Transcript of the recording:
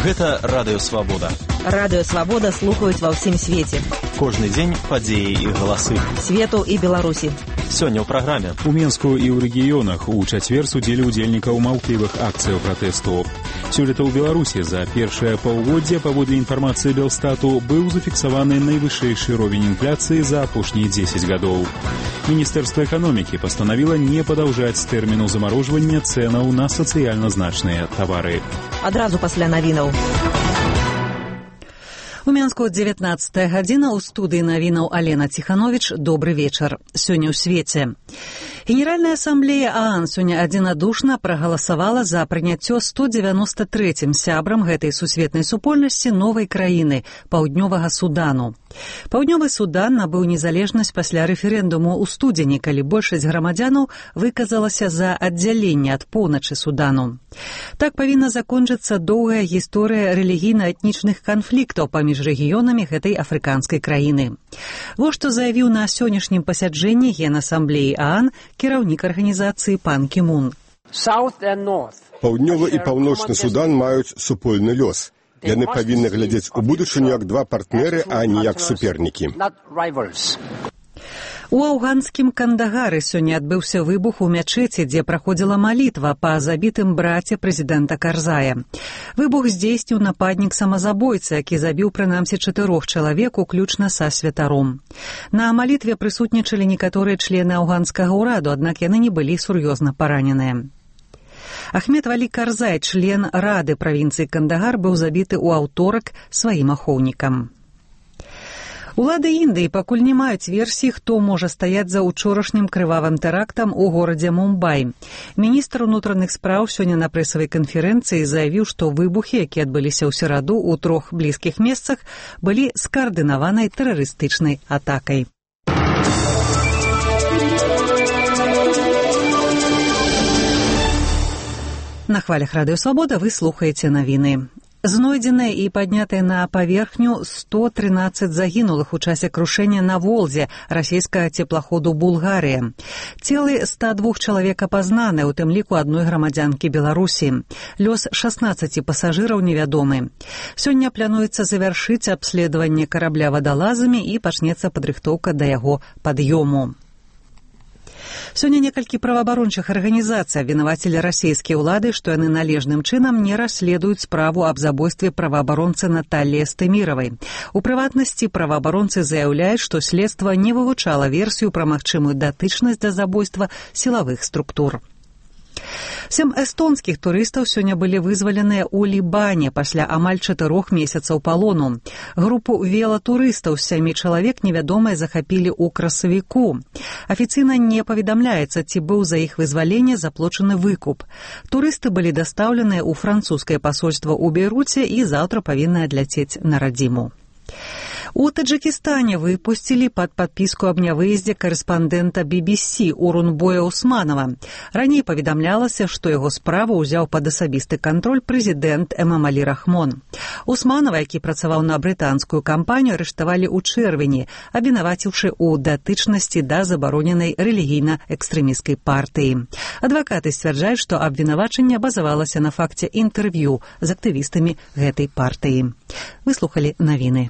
Гэта Радыё Свабода. Радыё Свабода слухаюць ва ўсім свеце. Кожны дзень падзеі і галасы. Свету і Беларусі. Сёння ў праграме. У Менску і ў рэгіёнах у чацвер судзілі ўдзельнікаў маўклівых акцыяў пратэсту. Сёлета ў Беларусі за першае паўгоддзе, паводле інфармацыі Белстату, быў зафіксаваны найвышэйшы ровень інфляцыі за апошнія 10 гадоў. Міністэрства эканомікі пастанавіла не падаўжаць тэрміну замарожвання цэнаў на сацыяльна значныя тавары. Адразу пасля навінаў. У Менску 19 гадзіна, у студыі навінаў Алена Ціхановіч. Добры вечар. Сёння ў свеце. Генеральная асамблея ААН сёння адзінадушна прагаласавала за прыняццё 193-м сябрам гэтай сусветнай супольнасці новай краіны – Паўднёвага Судану. Паўднёвы Судан набыў незалежнасць пасля рэферэндуму ў студзені, калі большасць грамадзянаў выказалася за аддзяленне ад поўначы Судану. Так павінна закончыцца доўгая гісторыя рэлігійна-этнічных канфліктаў паміж рэгіёнамі гэтай афрыканскай краіны. Вось што заявіў на сённяшнім пасяджэнні Генасамблеі ААН кіраўнік арганізацыі пан Кі Мун. Паўднёвы і паўночны Судан маюць супольны лёс. Яны павінны глядзець у будучыню як два партнеры, а не як супернікі. У афганскім Кандагары сёння адбыўся выбух у мячэці, дзе праходзіла малітва па забітым браце прэзідэнта Карзая. Выбух здзейсніў нападнік-самазабойца, які забіў прынамсі 4 чалавек, уключна са святаром. На малітве прысутнічалі некаторыя члены афганскага ўраду, аднак яны не былі сур'ёзна параненыя. Ахмед Валі Карзай, член рады правінцыі Кандагар, быў забіты ў аўторак сваім ахоўнікам. Улады Індыі пакуль не маюць версіі, хто можа стаяць за учорашнім крывавым тэрактам у горадзе Мумбай. Міністр унутраных спраў сёння на прэсавай канферэнцыі заявіў, што выбухі, якія адбыліся ў сераду ў 3 блізкіх месцах, былі скаардынаванай тэрарыстычнай атакай. На хвалях Радыё Свабода вы слухаеце навіны. Знойдзеныя і паднятыя на паверхню 113 загінулых у часе крушэння на Волзе расійскага цеплаходу «Булгарыя». Целы 102 чалавек апазнаны, у тым ліку адной грамадзянкі Беларусі. Лёс 16 пасажыраў невядомы. Сёння плануецца завяршыць абследаванне карабля вадалазамі і пачнецца падрыхтоўка да яго пад'ёму. Сёння некалькі праваабарончых арганізацый абвінавацілі расійскія ўлады, што яны належным чынам не расследуюць справу аб забойстве праваабаронцы Наталлі Эстэміравай. У прыватнасці праваабаронцы заяўляюць, што следства не вывучала версію пра магчымую датычнасць да забойства сілавых структур. 7 эстонскіх турыстаў сёння былі вызваленыя ў Лібане пасля амаль 4 месяцаў палону. Групу велатурыстаў з 7 чалавек невядомыя захапілі ў красавіку. Афіцыйна не паведамляецца, ці быў за іх вызваленне заплачаны выкуп. Турысты былі дастаўленыя ў французскае пасольства ў Бейруце і заўтра павінны адляцець на радзіму. У Таджикістане выпусцілі пад падпіску аб нявыездзе карэспандэнта BBC Урунбоя Усманова. Раней паведамлялася, што яго справу ўзяў пад асабісты кантроль прэзідэнт Эмамалі Рахмон. Усманова, які працаваў на брытанскую кампанію, арыштавалі ў чэрвені, абвінаваціўшы ў датычнасці да забароненай рэлігійна-экстрэмісцкай партыі. Адвакаты сцвярджаюць, што абвінавачанне базавалася на факце інтэрв'ю з актывістамі гэтай партыі. Выслухалі навіны.